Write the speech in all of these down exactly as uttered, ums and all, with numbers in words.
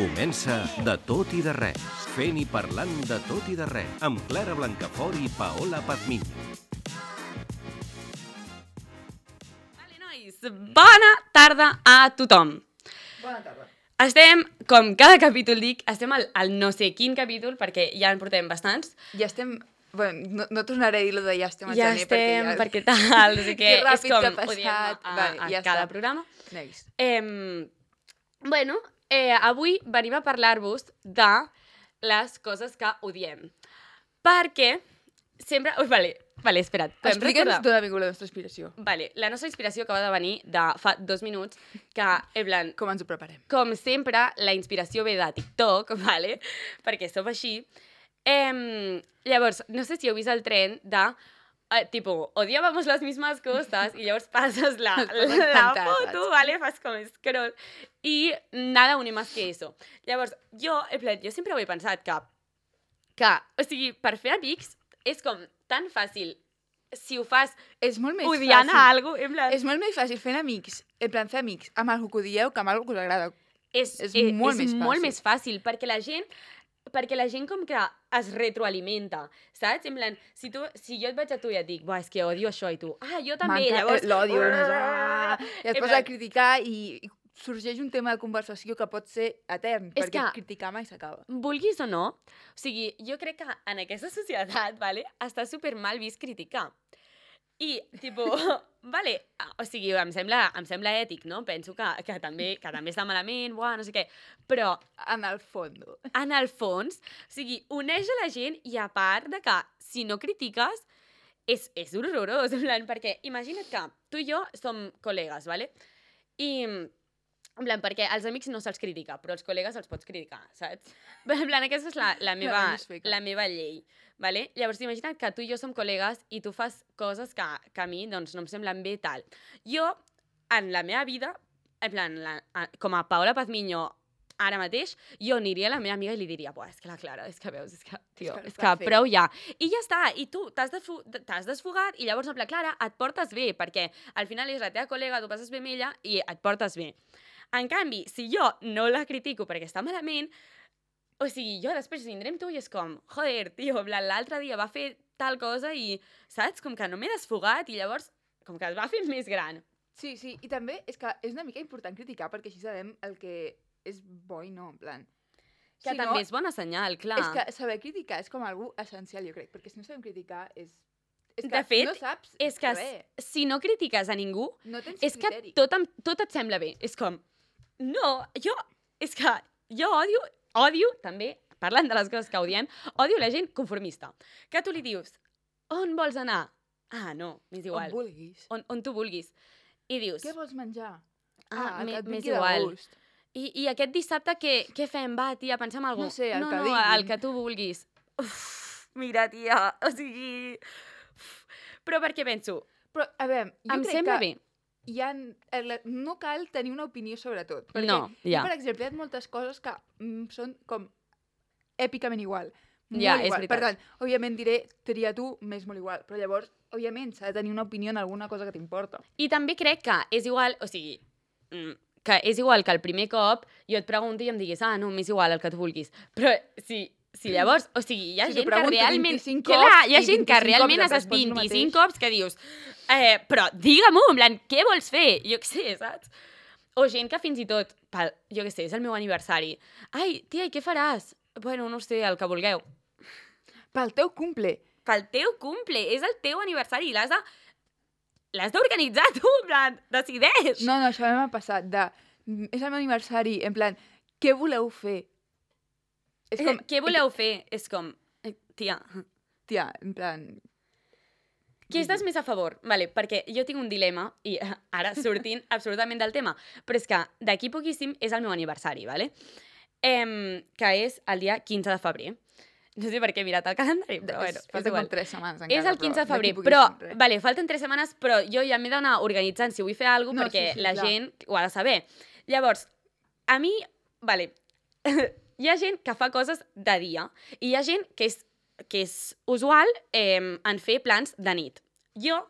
Comença De tot i de res, fent i parlant de tot i de res, amb Clara Blancafort i Paola Pazmiño. Vale, nois, bona tarda a tothom. Bona tarda. Estem, com cada capítol dic, estem al, al no sé quin capítol, perquè ja en portem bastants. Ja estem... Bueno, no, no tornaré a dir lo de ja estem al Ja gener, estem, perquè perquè tal, no sé què, Que ràpid és com que ha ho diem a, passat. a, Vale, a ja cada està. programa. Next. Eh, bueno, eh, avui venim a parlar-vos de les coses que odiem. Perquè sempre... Ui, vale, vale, espera't. podem Explica'ns recordar? d'on ha vingut la nostra inspiració. Vale, la nostra inspiració acaba de venir de fa dos minuts, que, en plan, Com ens ho preparem. com sempre, la inspiració ve de TikTok, vale? Perquè som així. Eh, llavors, no sé si heu vist el tren de, eh, tipo, odiábamos las mismas cosas, i llavors passes la, la, la encantat, foto, vale? Fas com scroll, i nada une más que eso. Llavors, jo, en plan, jo sempre ho he pensat que, que, o sigui, per fer amics és com tan fàcil si ho fas És molt més odiant fàcil. a algú, en plan... És molt més fàcil fent amics, en plan fer amics amb algú que odieu que amb algú que us agrada. És, És és, molt és més molt fàcil. més fàcil, perquè la gent perquè la gent com que es retroalimenta, saps? En plan, si, tu, si jo et vaig a tu i et dic, és que odio això, i tu, ah, jo també, M'encanta- llavors... L'odio. no és- Ah! I En et poses plan, a criticar i i sorgeix un tema de conversació que pot ser etern, És perquè que- criticar mai s'acaba. Vulguis o no, o sigui, jo crec que en aquesta societat, vale, està super mal vist criticar. I, tipo, vale, o sigui, em sembla, em sembla ètic, no? Penso que, que, també, que també està malament, buah, no sé què, però En el fondo. en el fons, o sigui, uneix a la gent i a part de que si no critiques és, és horrorós, en plan, perquè imagina't que tu i jo som col·legues, vale? I, en plan, perquè els amics no se'ls critica, però els col·legues els pots criticar, saps? En plan, aquesta és la, la, meva, més feca. la meva llei, vale? Llavors, imagina't que tu i jo som col·legues i tu fas coses que, que a mi doncs, no em semblen bé tal. Jo, en la meva vida, en plan, la, a- com a Paola Pazmiño, ara mateix, jo aniria a la meva amiga i li diria, buah, és que la Clara, és que veus, és que, tio, que és ho que fa fer." prou ja. I ja està, i tu t'has desfu- t'has desfogat i llavors, en plan, Clara, et portes bé, perquè al final és la teva col·lega, tu passes bé amb ella i et portes bé. En canvi, si jo no la critico perquè està malament, o sigui, jo després vindré amb tu i és com, joder, tio, en plan, l'altre dia va fer tal cosa i, saps, com que no m'he desfogat i llavors, com que es va fer més gran. Sí, sí, i també és que és una mica important criticar perquè així sabem el que és bo i no, en plan. Que Si també no, és bona senyal, clar. És que saber criticar és com algú essencial, jo crec, perquè si no sabem criticar és... és que De fet, no saps és que res, si no critiques a ningú, no tens és que criteri. tot, em- tot et sembla bé. És com, no, jo, és que jo odio, odio també, parlant de les coses que odiem, odio la gent conformista. Que tu li dius, on vols anar? Ah, no, m'és On igual. vulguis. On, on tu vulguis. I dius, Què vols menjar? ah, el m'é- que et m'és vingui de igual. gust. I, I aquest dissabte què, què fem? Va, tia, pensem en alguna No sé, el no, que no, diguin. el que tu vulguis. Uf, mira, tia, o sigui... Uf. Però perquè penso, Però, a veure, jo em crec sembla que bé. hi ha, el- no cal tenir una opinió sobre tot. Perquè No, ja. jo, per exemple, hi ha moltes coses que mm, són com èpicament igual. Molt Ja, és igual. Per veritat. tant, òbviament diré, tria tu, m'és molt igual. Però llavors, òbviament, s'ha de tenir una opinió en alguna cosa que t'importa. I també crec que és igual, o sigui, mm, que és igual que el primer cop jo et pregunti i em diguis, ah, no, m'és igual el que tu vulguis. Però si, si llavors, o sigui, hi ha Si t'ho gent que pregunto realment... vint-i-cinc Clar, cops hi ha i gent que vint-i-cinc realment cops has et estat respons el vint-i-cinc mateix. cops que dius, eh, però digue-m'ho, en plan, què vols fer? Jo què sé, saps? O gent que fins i tot, pel, jo què sé, és el meu aniversari. Ai, tia, i què faràs? Bueno, no sé, el que vulgueu. Pel teu cumple. Pel teu cumple, és el teu aniversari i l'has de... L'has d'organitzar tu, en plan, decideix. No, no, això m'ha passat de... mm, És el meu aniversari, en plan, què voleu fer? És com, Eh, Què voleu fer? És com, eh, tia, tia, en plan... qui estàs més a favor? Vale, perquè jo tinc un dilema, i eh, ara sortint absolutament del tema, però és que d'aquí poquíssim és el meu aniversari, vale? Em, que és el dia quinze de febrer. No sé per què he mirat el calendari, però bueno, és Falten igual. com tres setmanes encara, És el quinze de però febrer, d'aquí però, poquíssim, res. vale, falten tres setmanes, però jo ja m'he d'anar organitzant si vull fer alguna No, cosa, perquè sí, sí, la clar. gent ho ha de saber. Llavors, a mi, vale, hi ha gent que fa coses de dia i hi ha gent que és, que és usual eh, en fer plans de nit. Jo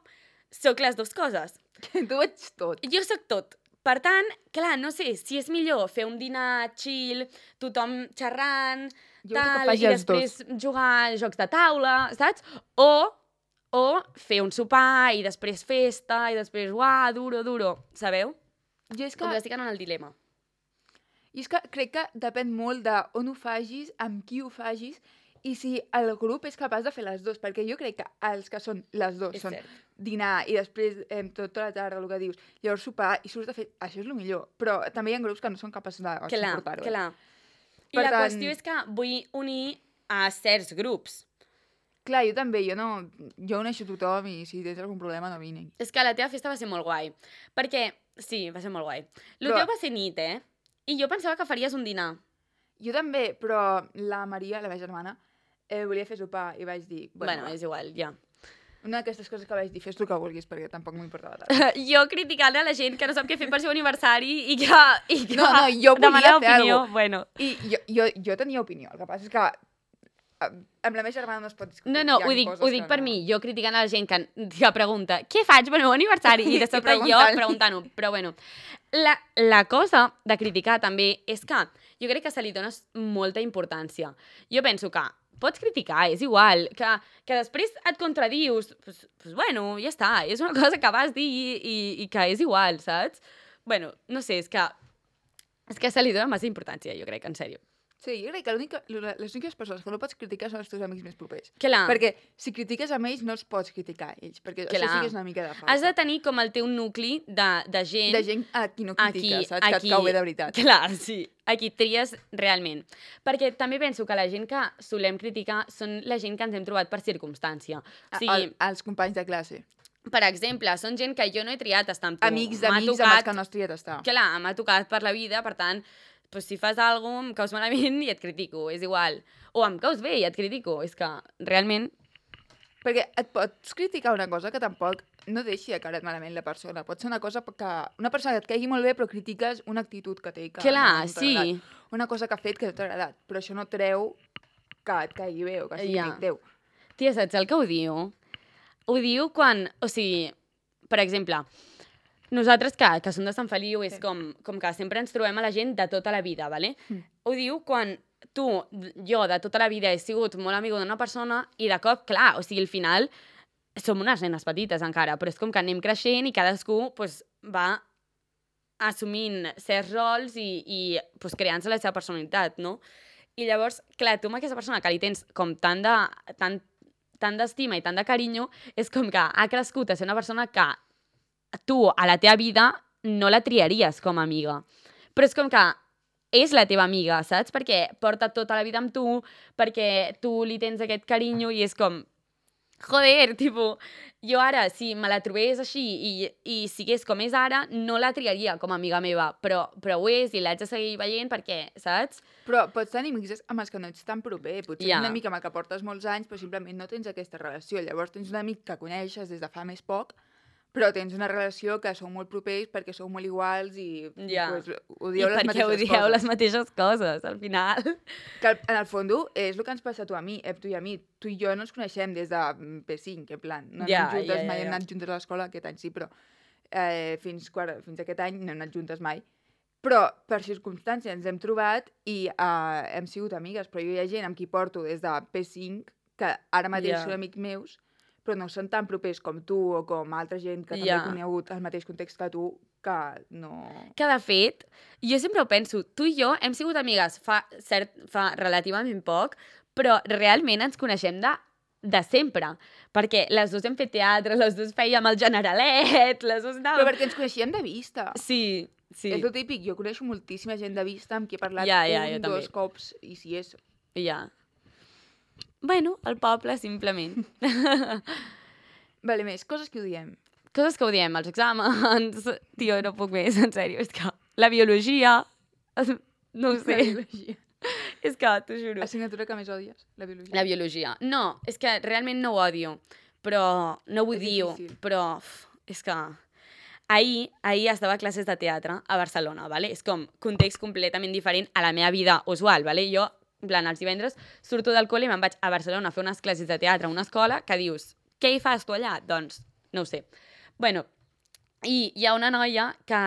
sóc les dues coses. Tu ets tot. Jo sóc tot. Per tant, clar, no sé si és millor fer un dinar chill, tothom xerrant, Jo crec que tal, faci i els després jugar a jocs de taula, saps? O, o fer un sopar i després festa i després, uah, duro, duro, sabeu? Jo és que, Com que estic en el dilema. jo és que crec que depèn molt de on ho facis, amb qui ho facis, i si el grup és capaç de fer les dues, perquè jo crec que els que són les dues És són cert. dinar i després eh, tota la tarda, el que dius, llavors sopar i surts de fer... Això és el millor, però també hi ha grups que no són capaços de Clar, suportar-ho. clar. I Per la tant- qüestió és que vull unir a certs grups. Clar, jo també, jo no... Jo uneixo tothom i si tens algun problema no vine. És que la teva festa va ser molt guai. Perquè, sí, va ser molt guai. El Però- teu va ser nit, eh? I jo pensava que faries un dinar. Jo també, però la Maria, la meva germana, eh, volia fer sopar i vaig dir... Bueno, va. és igual, ja. Una d'aquestes coses que vaig dir, fes tu que vulguis, perquè tampoc m'importava tant. Jo criticant a la gent que no sap què fer per seu aniversari i que, i que No, no, jo volia demana fer opinió. alguna Bueno. I jo, jo, jo tenia opinió, el que passa és que eh, amb la meva germana no es pot discutir. No, no, Hi ha ho dic, coses ho dic que per no. mi, jo criticant a la gent que, que pregunta què faig per meu aniversari? I de I sobte jo preguntant-li. preguntant-ho. Però bueno, la, la cosa de criticar també és que jo crec que se li dona molta importància. Jo penso que pots criticar, és igual, que, que després et contradius, pues, pues bueno, ja està, és una cosa que vas dir i, i, i que és igual, saps? Bueno, no sé, és que, és que se li dona massa importància, jo crec, en sèrio. Sí, jo crec que l'única- les úniques persones que no pots criticar són els teus amics més propers. Clar. Perquè si critiques amb ells no els pots criticar a ells, perquè Clar. això sí que és una mica de falta. Has de tenir com el teu nucli de, de gent... De gent a qui no critiques, Aquí- saps? Que aquí- et cau bé de veritat. Clar, sí. Aquí tries realment. Perquè també penso que la gent que solem criticar són la gent que ens hem trobat per circumstància. O sigui, El, els companys de classe. per exemple, són gent que jo no he triat estar amb tu. Amics M'ha d'amics amb tocat- els que no has triat estar. Clar, m'ha tocat per la vida, per tant, pues, si fas alguna cosa, em caus malament i et critico, és igual. O em caus bé i et critico. És que realment... Perquè et pots criticar una cosa que tampoc no deixi de caure malament la persona. Pot ser una cosa que... Una persona que et caigui molt bé però critiques una actitud que té que Clar, no t'ha sí. agradat. Una cosa que ha fet que no t'ha agradat. Però això no treu que et caigui bé o que sigui Ja. amic teu. Tia, saps el que ho diu? Ho diu quan... O sigui, per exemple, nosaltres que, que som de Sant Feliu és Sí. com, com que sempre ens trobem a la gent de tota la vida, ¿vale? Mm. Ho diu quan tu, jo, de tota la vida he sigut molt amigo d'una persona i de cop, clar, o sigui, al final som unes nenes petites encara, però és com que anem creixent i cadascú pues, va assumint certs rols i, i pues, creant-se la seva personalitat, no? I llavors, clar, tu amb aquesta persona que li tens com tant de, tant, tant d'estima i tant de carinyo, és com que ha crescut a ser una persona que tu, a la teva vida, no la triaries com a amiga. Però és com que és la teva amiga, saps? Perquè porta tota la vida amb tu, perquè tu li tens aquest carinyo i és com... Joder, tipo, jo ara, si me la trobés així i, i sigués com és ara, no la triaria com a amiga meva, però, però ho és i l'haig de seguir veient perquè, saps? Però pots tenir amics amb els que no ets tan proper. Potser Ja. yeah. un amic amb el que portes molts anys, però simplement no tens aquesta relació. Llavors tens un amic que coneixes des de fa més poc, però tens una relació que sou molt propers perquè sou molt iguals i Ja. pues, odieu I les perquè mateixes odieu coses. les mateixes coses, al final. Que al- en el fons és el que ens passa a tu a mi, eh, tu i a mi. Tu i jo no ens coneixem des de mm, P cinc, en plan. No hem Ja, anat juntes, ja, ja, mai hem ja. anat juntes a l'escola, aquest any sí, però eh, fins, quart, fins aquest any no hem anat juntes mai. Però per circumstàncies ens hem trobat i eh, hem sigut amigues, però jo hi ha gent amb qui porto des de P cinc que ara mateix Ja. són amics meus, però no són tan propers com tu o com altra gent que també Ja. he conegut el mateix context que tu, que no... Que, de fet, jo sempre ho penso, tu i jo hem sigut amigues fa, cert, fa relativament poc, però realment ens coneixem de, de sempre, perquè les dues hem fet teatre, les dues fèiem el Generalet, les dues Però anàvem... perquè ens coneixíem de vista. Sí, sí, És el típic, jo coneixo moltíssima gent de vista amb qui he parlat Ja, ja, jo un, també. dos cops, i si és... ja. Bueno, el poble, simplement. Vale, més, coses que odiem. Coses que odiem, els exàmens... Tio, no puc més, en sèrio, és que la biologia... No ho sé, La biologia. és que, t'ho juro. Assignatura que més odies, la biologia. La biologia. No, és que realment no ho odio, però no ho És odio, difícil. però uf, és que... Ahir, ahir estava a classes de teatre a Barcelona, ¿vale? És com context completament diferent a la meva vida usual, ¿vale? Jo, en plan, els divendres surto del col·le i me'n vaig a Barcelona a fer unes classes de teatre a una escola que dius, què hi fas tu allà? Doncs, no ho sé. Bueno, i hi ha una noia que,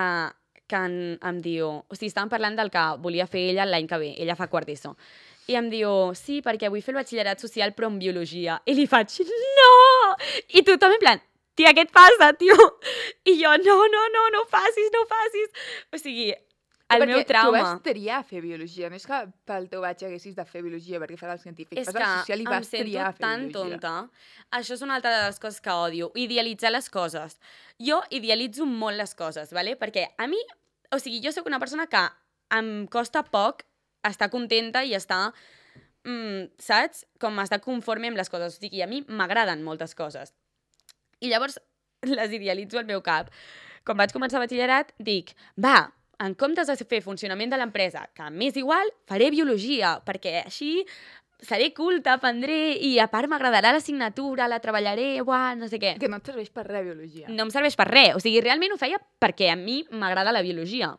que en, em diu... O sigui, estàvem parlant del que volia fer ella l'any que ve. Ella fa quart d'ESO. I em diu, sí, perquè vull fer el batxillerat social però en biologia. I li faig, no! I tothom en plan, tia, què et passa, tio? I jo, no, no, no, no ho facis, no ho facis. O sigui, el perquè meu trauma... tu vas triar a fer biologia, no és que pel teu batx haguessis de fer biologia perquè fas el científic, És fas que el social i em vas sento triar a fer tan biologia. tonta. Això és una altra de les coses que odio, idealitzar les coses. Jo idealitzo molt les coses, ¿vale? Perquè a mi, o sigui, jo sóc una persona que em costa poc estar contenta i estar, mm, saps? Com estar conforme amb les coses. O sigui, a mi m'agraden moltes coses. I llavors les idealitzo al meu cap. Quan vaig començar batxillerat, dic, va, en comptes de fer funcionament de l'empresa, que m'és igual, faré biologia, perquè així seré culta, aprendré, i a part m'agradarà l'assignatura, la treballaré, uah, no sé què. Que no et serveix per res, biologia. No em serveix per res. O sigui, realment ho feia perquè a mi m'agrada la biologia.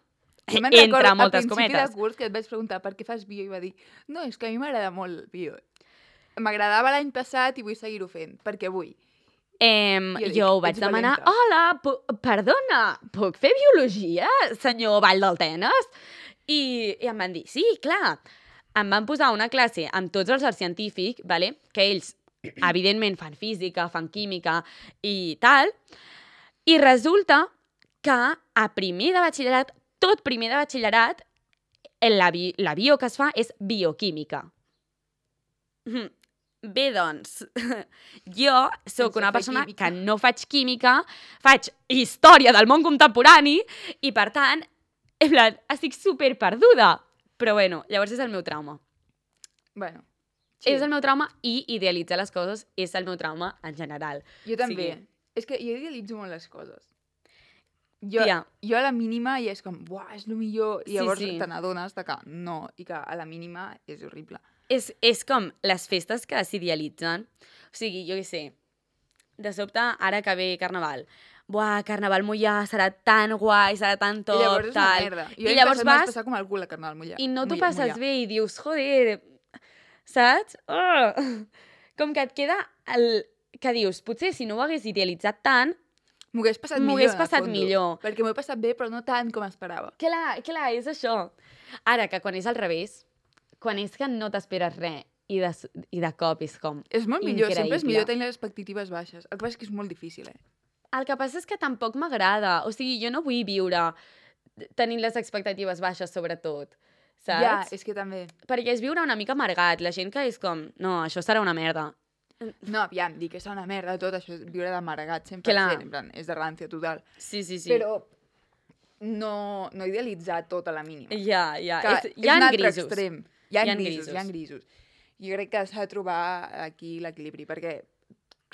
Jo me'n Entre recordo, moltes a principi cometes. de curs que et vaig preguntar per què fas bio i va dir, no, és que a mi m'agrada molt bio. M'agradava l'any passat i vull seguir-ho fent, perquè vull. Em, Jo dic, jo ho vaig ets demanar, valenta. hola, pu- perdona, puc fer biologia, senyor Vall del Tenes? I, I em van dir, sí, clar. Em van posar una classe amb tots els arts científics, vale? Que ells, evidentment, fan física, fan química i tal, i resulta que a primer de batxillerat, tot primer de batxillerat, la, bi la bio que es fa és bioquímica. Mhm. Bé, doncs, jo sóc Sense una fer persona química. que no faig química, faig història del món contemporani i, per tant, en plan, estic super perduda. Però, bueno, llavors és el meu trauma. Bueno, Sí. És el meu trauma i idealitzar les coses és el meu trauma en general. Jo també. Sí. És que jo idealitzo molt les coses. Jo, Tia. jo a la mínima ja és com, buah, és el millor, i Sí, llavors sí. te n'adones de que no, i que a la mínima és horrible. És, és com les festes que s'idealitzen. O sigui, jo què sé, de sobte, ara que ve Carnaval, buah, Carnaval Mollà serà tan guai, serà tan tot, I llavors és una tal. merda. Jo I l'any llavors passat m'ho vaig vas passar com el cul a Carnaval Mollà. i no t'ho Mollà- passes Mollà. bé i dius, joder, saps? Oh. Com que et queda el... que dius, potser si no ho hagués idealitzat tant, M'ho hagués passat M'ho millor, hagués en el passat fondo, millor. Perquè m'ho he passat bé, però no tant com esperava. clar, clar, és això. Ara, que quan és al revés, quan és que no t'esperes res i de, i de cop és com És molt millor, sempre és increïble. millor tenir les expectatives baixes. El que passa és que és molt difícil, eh? El que passa és que tampoc m'agrada. O sigui, jo no vull viure tenint les expectatives baixes, sobretot. Saps? Ja, és que també... Perquè és viure una mica amargat. La gent que és com, no, això serà una merda. No, aviam, dir que és una merda tot això, és viure d'amargat cent per Clar. cent, en plan, és de rància total. Sí, sí, sí. Però no, no idealitzar tot a la mínima. Ja, ja. Que És, hi és ha un altre grisos. extrem. Hi ha, Hi ha grisos, grisos. hi ha grisos. Jo crec que s'ha de trobar aquí l'equilibri, perquè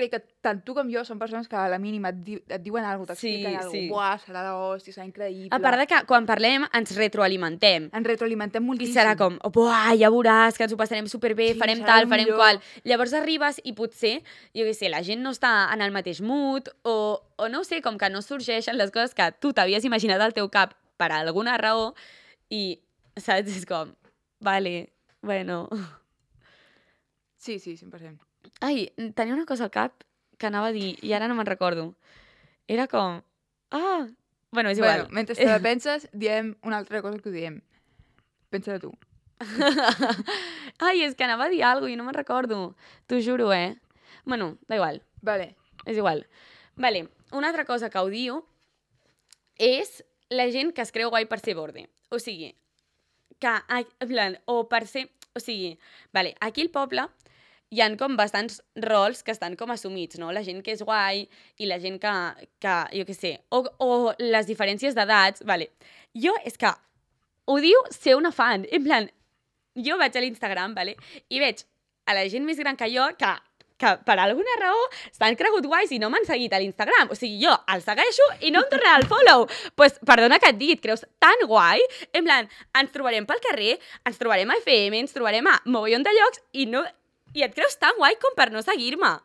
crec que tant tu com jo som persones que a la mínima et, di et diuen alguna cosa, Sí, t'expliquen alguna sí. cosa, buah, serà d'hòstia, serà increïble. A part de que quan parlem ens retroalimentem. Ens retroalimentem I moltíssim. serà com, buah, ja veuràs que ens ho passarem superbé, Sí, farem serà tal, el farem millor. qual. Llavors arribes i potser, jo què sé, la gent no està en el mateix mood o, o no ho sé, com que no sorgeixen les coses que tu t'havies imaginat al teu cap per alguna raó i, saps, és com, vale, bueno... Sí, sí, cent per cent. Ai, tenia una cosa al cap que anava a dir i ara no me'n recordo. Era com, ah, bueno, és igual. Bueno, mentre te la penses, diem una altra cosa que ho diem. Pensa-la tu. Ai, és que anava a dir alguna cosa i no me'n recordo. T'ho juro, eh? Bueno, da igual. Vale. És igual. Vale, una altra cosa que odio és la gent que es creu guai per ser borde. O sigui, que, ai, en plan, o per ser... O sigui, vale, aquí al poble hi ha com bastants rols que estan com assumits, no? La gent que és guai i la gent que, que jo què sé, o, o les diferències d'edats, vale. Jo és que odio ser una fan. En plan, jo vaig a l'Instagram, vale? I veig a la gent més gran que jo que que per alguna raó s'han cregut guais i no m'han seguit a l'Instagram. O sigui, jo el segueixo i no em tornarà el follow. Doncs pues, perdona que et digui, et creus tan guai? En plan, ens trobarem pel carrer, ens trobarem a F M, ens trobarem a mogollon de llocs i, no, i et creus tan guai com per no seguir-me.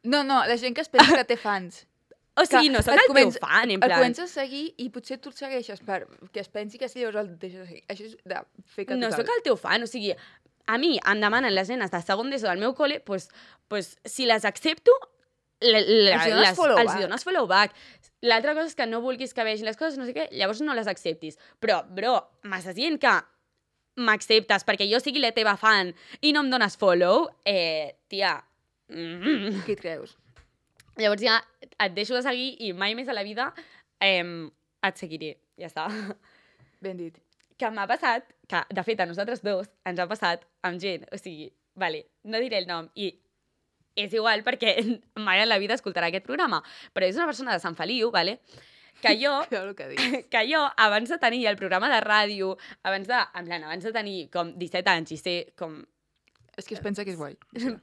No, no, la gent que es pensa que té fans. O sigui, no sóc et el comença- teu fan, en El plan... comences a seguir i potser tu el segueixes perquè es pensi que sí, llavors el deixes seguir. Això és de feca No total. sóc el teu fan, o sigui, a mi em demanen les nenes de segon d'ESO del meu col·le, pues, pues, si les accepto, la, la, Els dones les, follow els back. dones follow back. L'altra cosa és que no vulguis que vegin les coses, no sé què, llavors no les acceptis. Però, bro, m'estàs dient que m'acceptes perquè jo sigui la teva fan i no em dones follow? Eh, tia... Mm. Qui et creus? Llavors ja et deixo de seguir i mai més a la vida eh, et seguiré. Ja està. Ben dit. Que m'ha passat, que de fet a nosaltres dos ens ha passat amb gent, o sigui, vale, no diré el nom, i és igual perquè mai en la vida escoltarà aquest programa, però és una persona de Sant Feliu, vale? Que jo, Però el que dius. que jo, abans de tenir el programa de ràdio, abans de, en plan, abans de tenir com disset anys i ser com És que es pensa que és guai.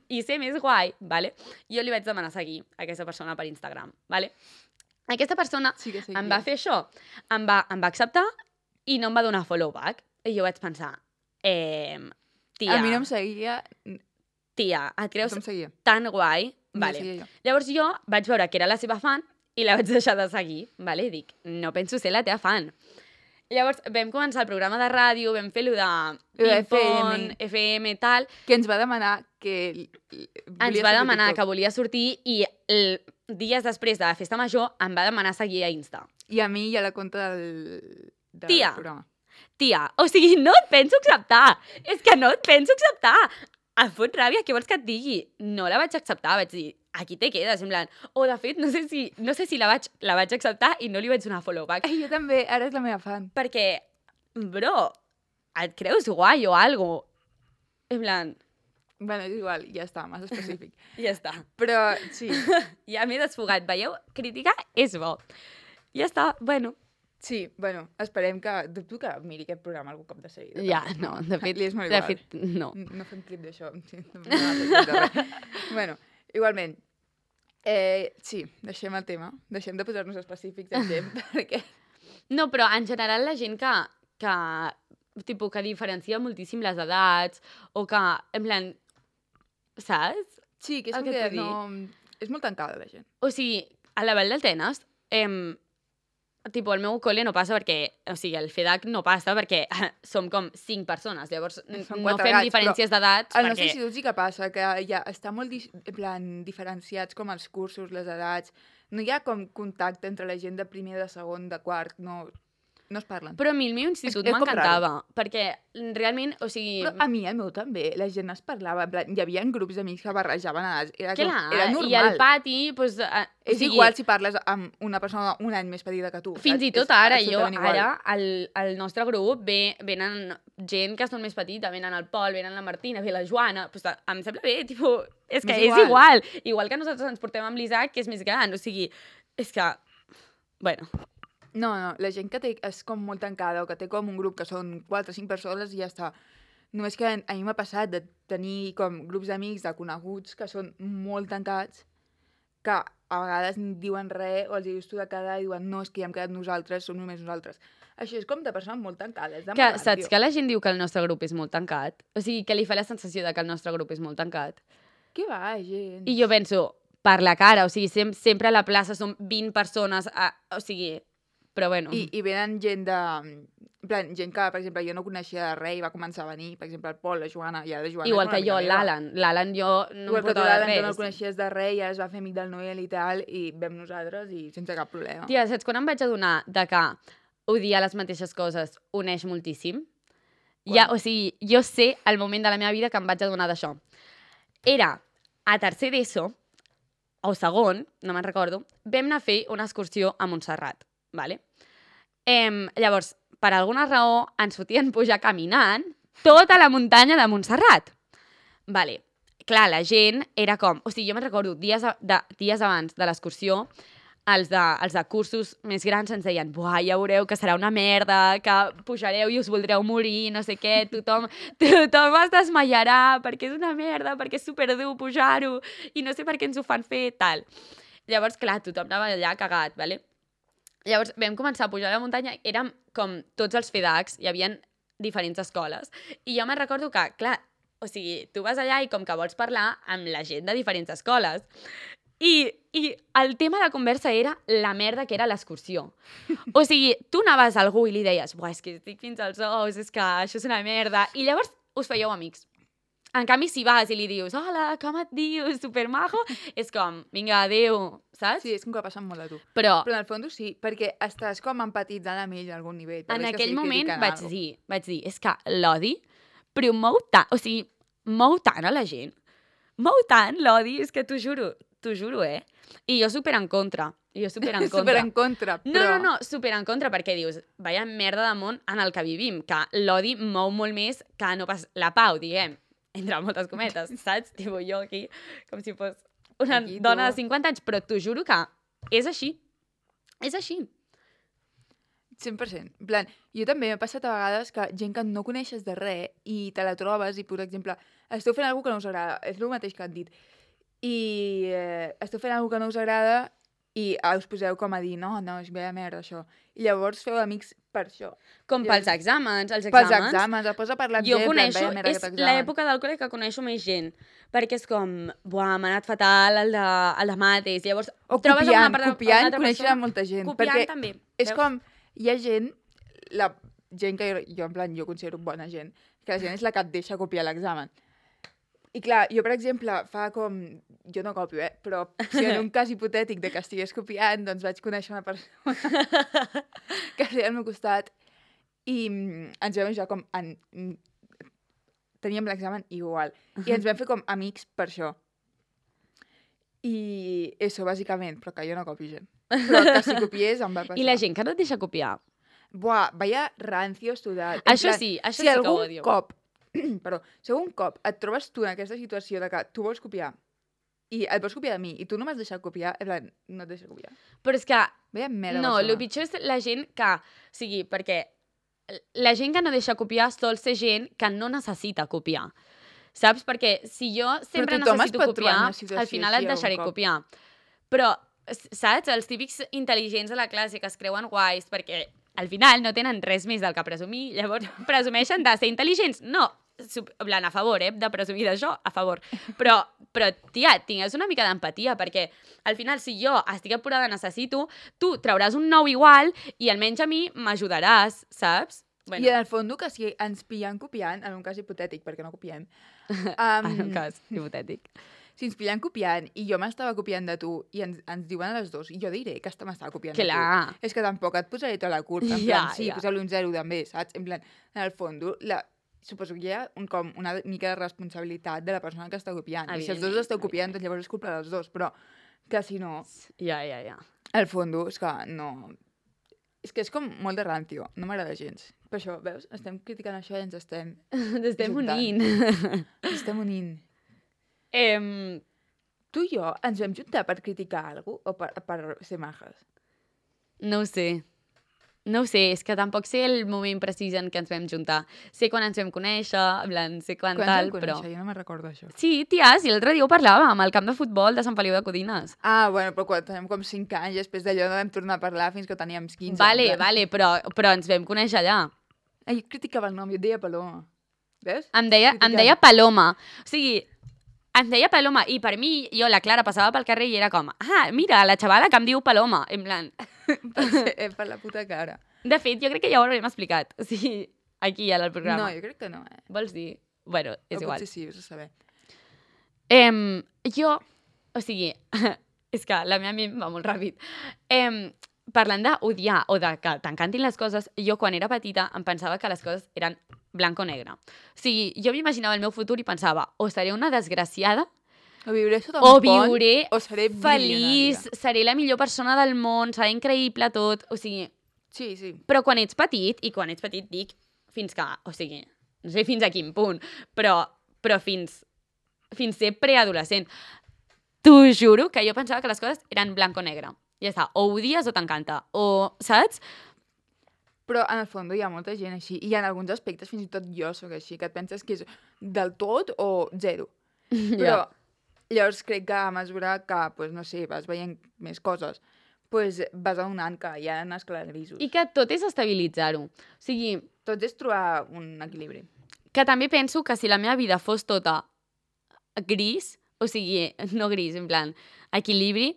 i ser més guai, vale? Jo li vaig demanar seguir a aquesta persona per Instagram, vale? Aquesta persona Sí que sí. em va fer això, em va, em va acceptar i no em va donar follow back. I jo vaig pensar, eh, tia, A mi no em seguia... tia, et No creus em seguia. tan guai? No Vale. seguia jo. Llavors jo vaig veure que era la seva fan i la vaig deixar de seguir, vale? I dic, no penso ser la teva fan. Llavors vam començar el programa de ràdio, vam fer-lo de Lo de ping-pong, F M. F M, tal. Que ens va demanar que... Ens va demanar que volia sortir i el, dies després de la festa major em va demanar seguir a Insta. I a mi i a la compte del, del Tia. programa. Tia, o sigui, no et penso acceptar. És que no et penso acceptar. Em fot ràbia, què vols que et digui? No la vaig acceptar, vaig dir, aquí te quedes, en plan... O, de fet, no sé si, no sé si la, vaig, la vaig acceptar i no li vaig donar follow back. Ai, jo també, ara és la meva fan. Perquè, bro, et creus guai o algo? En plan, Bueno, és igual, ja està, massa específic. ja està. Però, sí, Ja m'he desfogat, veieu? Criticar és bo. Ja està, bueno. sí, bueno, esperem que... Dubto que miri aquest programa algun cop de seguida. Ja, tampoc, no, de fet, Li és molt de igual. fet, no. No fem clip d'això. Sí, no fem clip de res. Bueno, igualment, eh, sí, deixem el tema. Deixem de posar-nos específics en gent, perquè... No, però en general la gent que, que, tipus, que diferencia moltíssim les edats o que, en plan, saps? Sí, que és El com que que et vull no... És molt tancada, la gent. O sigui, a la Vall d'Altenes, em, tipus, al meu col·le no passa perquè, o sigui, el FEDAC no passa perquè som com cinc persones, llavors n- Som no quatre fem gats, diferències d'edats Al perquè... nostre institut sí que passa, que ja està molt dis en plan, diferenciats com els cursos, les edats. No hi ha com contacte entre la gent de primer, de segon, de quart, no, no es parlen. Però a mi el meu institut És- és com m'encantava, perquè realment, o sigui... Però a mi, el meu també, la gent es parlava, en plan, hi havia grups d'amics que barrejaven edats, era, com, clar, era normal. i al pati, doncs... Eh, o És sigui, igual si parles amb una persona un any més petita que tu. Fins saps? i tot És ara, jo, absolutament igual. ara, al, al nostre grup ve, venen gent que són més petita, venen el Pol, venen la Martina, ve la Joana, pues, em sembla bé, tipus, és que És és igual. igual. que nosaltres ens portem amb l'Isaac, que és més gran, o sigui, és que, bueno, No, no, la gent que té, és com molt tancada o que té com un grup que són quatre o cinc persones i ja està. Només que a mi m'ha passat de tenir com grups d'amics, de coneguts, que són molt tancats, que a vegades ni diuen res o els dius tu de cada i diuen no, és que ja hem quedat nosaltres, som només nosaltres. Això és com de persones molt tancades. De que mal, saps tio. que la gent diu que el nostre grup és molt tancat? O sigui, que li fa la sensació de que el nostre grup és molt tancat. Què va, gent? I jo penso, per la cara, o sigui, sem sempre a la plaça som vint persones, a, o sigui, però bueno. I, I venen gent de... En plan, gent que, per exemple, jo no coneixia de res i va començar a venir, per exemple, el Pol, la Joana, i ara la Joana... Igual és una que jo, amiga meva. l'Alan. L'Alan jo no Igual em que tu, portava l'Alan, de tu no el res. coneixies de res i ara es va fer amic del Noel i tal, i vam nosaltres i sense cap problema. Tia, saps quan em vaig adonar de que odiar les mateixes coses uneix moltíssim? Ja, o sigui, jo sé el moment de la meva vida que em vaig adonar d'això. Era a tercer d'ESO, o segon, no me'n recordo, vam anar a fer una excursió a Montserrat, vale? Em, llavors, per alguna raó, ens fotien pujar caminant tota la muntanya de Montserrat. Vale. Clar, la gent era com... O sigui, jo me'n recordo, dies, a, de, dies abans de l'excursió, els de, els de cursos més grans ens deien buah, ja veureu que serà una merda, que pujareu i us voldreu morir, no sé què, tothom, tothom es desmaiarà perquè és una merda, perquè és superdur pujar-ho i no sé per què ens ho fan fer, tal. Llavors, clar, tothom anava allà cagat, vale? Llavors vam començar a pujar a la muntanya, érem com tots els FEDACs, hi havia diferents escoles, i jo me'n recordo que, clar, o sigui, tu vas allà i com que vols parlar amb la gent de diferents escoles, i, i el tema de conversa era la merda que era l'excursió. O sigui, tu anaves a algú i li deies buah, és que estic fins als ous, és que això és una merda, i llavors us fèieu amics. En canvi, si vas i li dius, hola, com et dius, supermajo, és com, vinga, adéu, saps? Sí, és com que passen molt a tu. Però Però en el fons sí, perquè estàs com empatitzant amb ell a algun nivell. per en més que aquell sigui moment criticant vaig algo. dir, vaig dir, és que l'odi promou tant, o sigui, mou tant a la gent, mou tant l'odi, és que t'ho juro, t'ho juro, eh? I jo super en contra, i jo super en contra. Super en contra, No, però... no, no, super en contra, perquè dius, vaya merda de món en el que vivim, que l'odi mou molt més que no pas la pau, diguem, entre moltes cometes, saps? Tipo, jo aquí, com si fos una Aquí, tu. dona de cinquanta anys, però t'ho juro que és així. És així. cent per cent. En plan, jo també m'ha passat a vegades que gent que no coneixes de res i te la trobes i, per exemple, esteu fent alguna cosa que no us agrada, és el mateix que han dit, i eh, esteu fent alguna cosa que no us agrada i ah, us poseu com a dir, no, no, és veia merda, això. I llavors feu amics per això. Com I pels és- exàmens, els Pels exàmens. exàmens, et posa a parlar amb Jo gent, en plan, coneixo, veia merda és aquest examen. l'època del col·le que coneixo més gent, perquè és com, buah, m'ha anat fatal el de, el de mates, llavors O trobes copiant, una, part- copiant, una altra conèixer persona. molta gent. Copiant perquè també, és veus? com, hi ha gent, la gent que jo, jo, en plan, jo considero bona gent, que la gent és la que et deixa copiar l'examen. I clar, jo, per exemple, fa com... Jo no copio, eh? Però si en un cas hipotètic de que estigués copiant, doncs vaig conèixer una persona que seia al meu costat i mm, ens vam ja com... En, mm, teníem l'examen igual. I ens vam fer com amics per això. I això, bàsicament, però que jo no copio gent. Però que si copiés em va passar. I la gent que no et deixa copiar. Buah, vaya rancios total. En Això plan, sí, això si sí que ho algun odio. cop, perdó, si algun cop et trobes tu en aquesta situació de que tu vols copiar i et vols copiar de mi i tu no m'has deixat copiar, en plan, no et deixo copiar. Però és que, Vaya merda. no, el persona. pitjor és la gent que... O sigui, perquè la gent que no deixa copiar sol ser gent que no necessita copiar. Saps? Perquè si jo sempre tothom es necessito pot trobar en copiar, una situació al final així et deixaré algun cop. copiar. Però, s- saps? Els típics intel·ligents de la classe que es creuen guais perquè al final no tenen res més del que presumir, llavors presumeixen de ser intel·ligents. No, sub- en plan, a favor, eh, de presumir d'això, a favor. Però, però, tia, tingues una mica d'empatia, perquè al final, si jo estic apurada, necessito, tu trauràs un nou igual i almenys a mi m'ajudaràs, saps? I en el fons que si ens pillen copiant, en un cas hipotètic, perquè no copiem, um, en un cas hipotètic. si ens pillen copiant i jo m'estava copiant de tu i ens, ens diuen a les dos, i jo diré que esta m'estava copiant de Clar. tu. És que tampoc et posaré tota la culpa. En Ja, plan, sí, ja. poseu-li un zero també, saps? En plan, en el fons, la, suposo que hi ha un, com una mica de responsabilitat de la persona que està copiant. I si els dos Evidentment, esteu copiant, doncs llavors és culpa dels dos. Però que si no, Ja, ja, ja. al fons és que no... És que és com molt de rancio, no m'agrada gens. Per això, veus? Estem criticant això i ens estem... Ens estem Juntant. unint. Ens estem unint. Em, Tu i jo ens vam juntar per criticar alguna cosa o per, per ser majes? no ho sé. No ho sé, és que tampoc sé el moment precís en què ens vam juntar. Sé quan ens vam conèixer, en plan, sé quan, Quan tal, ens vam però... conèixer? Jo no me'n recordo això. Sí, tia, sí, l'altre dia ho parlàvem, al camp de futbol de Sant Feliu de Codines. Ah, bueno, però quan teníem com cinc anys, després d'allò no vam tornar a parlar fins que teníem quinze. Vale, en plan. vale, però, però ens vam conèixer allà. Ah, jo criticava el nom, jo et deia Paloma. Veus? Em deia, em Criticant. deia Paloma. O sigui, em deia Paloma, i per mi, jo, la Clara, passava pel carrer i era com, ah, mira, la xavala que em diu Paloma. En plan... per, ser, eh, per la puta cara. De fet, jo crec que ja ho haurem explicat. O sigui, aquí, al programa. No, jo crec que no, eh? Vols dir? Bueno, és o igual. potser sí, us ho saber. Em, jo, o sigui, és que la meva ment va molt ràpid. Em, parlant d'odiar o de que t'encantin les coses, jo quan era petita em pensava que les coses eren blanc o negre. O sigui, jo m'imaginava el meu futur i pensava o seré una desgraciada O viuré sota o un pont, viuré o seré feliç, bilionària. seré la millor persona del món, serà increïble tot. O sigui, Sí, sí. però quan ets petit, i quan ets petit dic fins que, o sigui, no sé fins a quin punt, però, però fins, fins ser preadolescent. T'ho juro que jo pensava que les coses eren blanc o negre. Ja està, o odies o t'encanta, o, saps? Però en el fons hi ha molta gent així, i en alguns aspectes fins i tot jo sóc així, que et penses que és del tot o zero. Però llavors crec que a mesura que, pues, no sé, vas veient més coses, pues, vas adonant que hi ha esclars grisos. I que tot és estabilitzar-ho. O sigui, Tot és trobar un equilibri. que també penso que si la meva vida fos tota gris, o sigui, no gris, en plan, equilibri,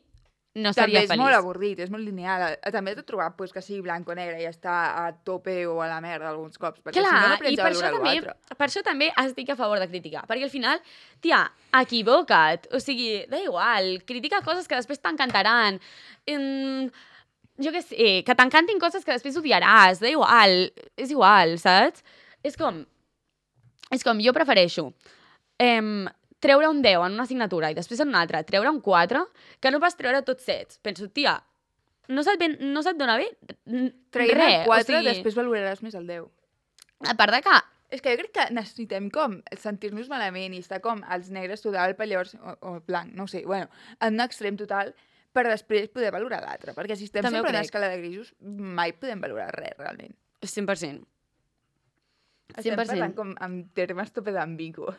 no També seria és feliç. molt avorrit, és molt lineal. També t'he trobat pues, que sigui blanc o negre i està a tope o a la merda alguns cops, perquè Clar, si no, no i aprens a per això, valorar també, l'altre. per això també estic a favor de criticar, perquè al final, tia, equivoca't, o sigui, da igual, critica coses que després t'encantaran, mm, jo què sé, que t'encantin coses que després odiaràs, da igual, és igual, saps? És com, és com, jo prefereixo em, treure un deu en una assignatura i després en una altra treure un quatre, que no pas treure tots sets. Penso, tia, no se't, ben, no se't dona bé Traient res. el quatre, o sigui, després valoraràs més el deu. a part de que És que jo crec que necessitem com sentir-nos malament i estar com els negres total, per llavors, o, o el blanc, no ho sé, bueno, en un extrem total, per després poder valorar l'altre. Perquè si estem També ho sempre en crec. escala de grisos, mai podem valorar res, realment. cent per cent. Estem cent per parlant cent. com amb termes tope d'ambigus.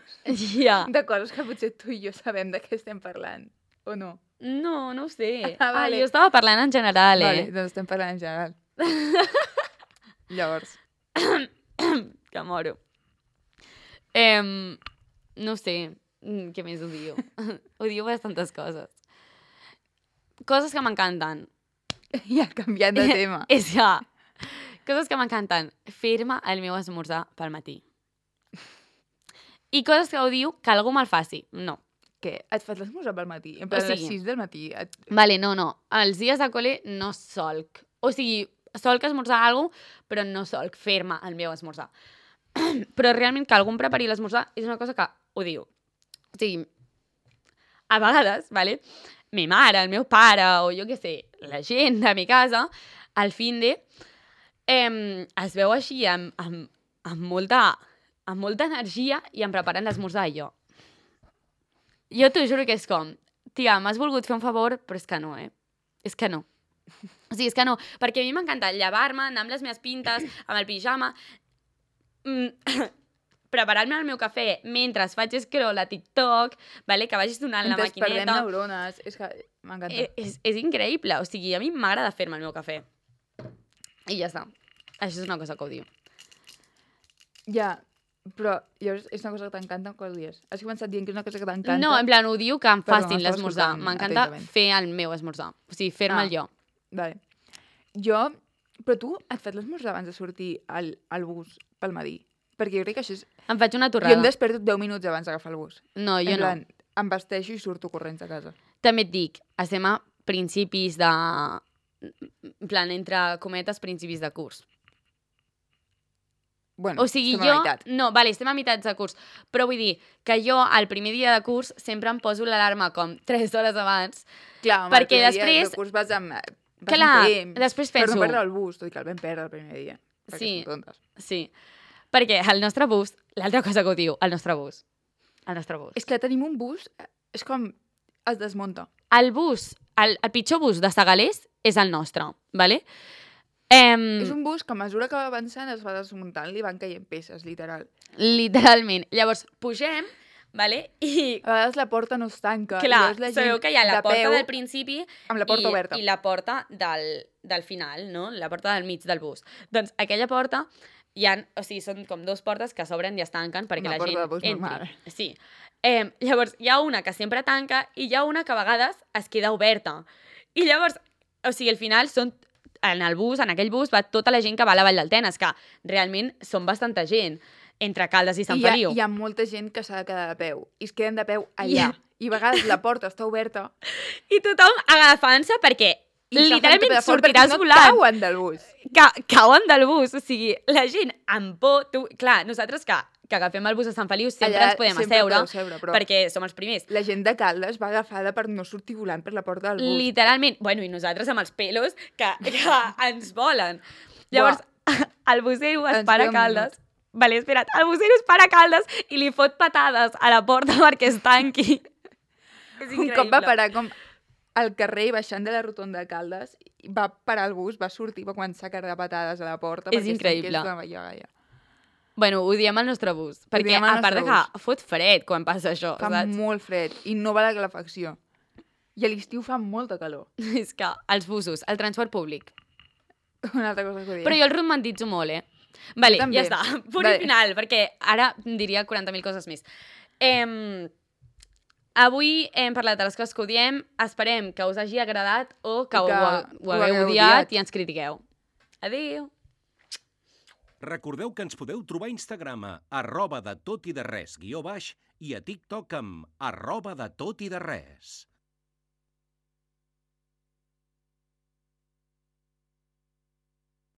Ja. De coses que potser tu i jo sabem de què estem parlant, o no? No, no ho sé. Ah, vale. Ah, jo estava parlant en general, eh? Vale, doncs estem parlant en general. Llavors, Que moro. Em, no sé, mm, què més odio? Odio bastantes coses. Coses que m'encanten. ja canviant de tema. És que... Coses que m'encanten. Fer-me el meu esmorzar pel matí. I coses que odio que algú me'l faci. No. Què? Et fas l'esmorzar pel matí? En plan, O a les sigui- sis del matí. Et... Vale, no, no. Els dies de col·le no solc. O sigui, solc esmorzar alguna cosa, però no solc fer-me el meu esmorzar. Però realment que algú em prepari l'esmorzar és una cosa que odio. O sigui, a vegades, vale, mi mare, el meu pare, o jo què sé, la gent de mi casa, al fin de, eh, es veu així amb, amb, amb, molta, amb molta energia i em preparen l'esmorzar i jo. Jo t'ho juro que és com, tia, m'has volgut fer un favor, però és que no, eh? És que no. O sigui, és que no, perquè a mi m'encanta llevar-me, anar amb les meves pintes, amb el pijama, mm, preparar-me el meu cafè mentre faig scroll a TikTok, vale? Que vagis donant la Ens perdem maquineta. neurones. És que m'encanta. Eh, És, és increïble, o sigui, a mi m'agrada fer-me el meu cafè. I ja està. Això és una cosa que odio. Ja, però llavors és una cosa que t'encanta quan ho dius. Has començat dient que és una cosa que t'encanta. No, en plan, odio que em Perdó, facin estava l'esmorzar. escoltant M'encanta atentament. fer el meu esmorzar. O sigui, fer-me'l Ah. jo. Vale. Jo... Però tu et fas l'esmorzar abans de sortir al, al bus pel matí? Perquè jo crec que això és... Em faig una Jo em torrada. desperto deu minuts abans d'agafar el bus. No, jo en no. plan, em vesteixo i surto corrents a casa. També et dic, estem a principis de... En plan, entre cometes, principis de curs. Bueno, O sigui, estem a jo... la meitat. No, vale, estem a meitats de curs. Però vull dir que jo, al primer dia de curs, sempre em poso l'alarma com tres hores abans. Clar, home, perquè el primer dia després- de curs vas amb... Vas Clar, amb temps, després Per penso- no perdre el bus, tot i que el vam perdre el primer dia. Perquè Sí. som tontes. Sí. Perquè el nostre bus... L'altra cosa que ho diu, el nostre bus. El nostre bus. És que tenim un bus, eh, és com... Es desmunta. El bus, el, el pitjor bus de Segalers és el nostre, vale? Em, És un bus que a mesura que va avançant es va desmuntant, li van caient peces, literal. Literalment. Llavors, pugem, vale? I, A vegades la porta no es tanca. i clar, llavors la gent sabeu que hi ha la de porta peu, del principi amb la porta i, oberta. i la porta del, del final, no? La porta del mig del bus. Doncs aquella porta, hi ha, o sigui, són com dues portes que s'obren i es tanquen perquè Una la porta gent de bus entri. normal. Sí. Eh, llavors, hi ha una que sempre tanca i hi ha una que a vegades es queda oberta. I llavors, o sigui, al final són en el bus, en aquell bus, va tota la gent que va a la Vall d'Altenes, que realment són bastanta gent, entre Caldes i Sant I hi ha, Feliu. hi ha molta gent que s'ha de quedar de peu. I es queden de peu allà. I a vegades la porta està oberta I tothom agafant-se perquè i s'agafen literalment de fort sortiràs perquè si no volant. cauen del bus. Ca cauen del bus, o sigui, la gent amb por... Tu... Clar, nosaltres que, que agafem el bus a Sant Feliu sempre Allà ens podem sempre asseure, podeu seure, però- perquè som els primers. La gent de Caldes va agafada per no sortir volant per la porta del bus. Literalment. Bueno, i nosaltres amb els pelos que, que ens volen. Llavors, el busero es Ens para a queda un Caldes. Vale, espera't. El busero es para a Caldes i li fot patades a la porta perquè es tanqui. És Un increïble. cop va parar com al carrer i baixant de la rotonda de Caldes, i va parar el bus, va sortir, va començar a carregar patades a la porta. És perquè es increïble. tanqués la via gaia. Bueno, ho diem al nostre bus. Perquè, diem al a part de nostre que fot fred quan passa això, Fa saps? molt fred i no va la calefacció. I a l'estiu fa molta calor. És que els busos, el transport públic. Una altra cosa que ho Però jo el romantitzo molt, eh? Vale, també. ja està. Punt Vale. i final, perquè ara diria quaranta mil coses més. Em... Avui hem parlat de les coses que odiem. Esperem que us hagi agradat o que, I que ho, ho ho hagueu hagueu odiat odiat. i ens critiqueu. Adéu. Recordeu que ens podeu trobar a Instagram a arroba de tot i de res guió baix i a TikTok amb arroba de tot i de res.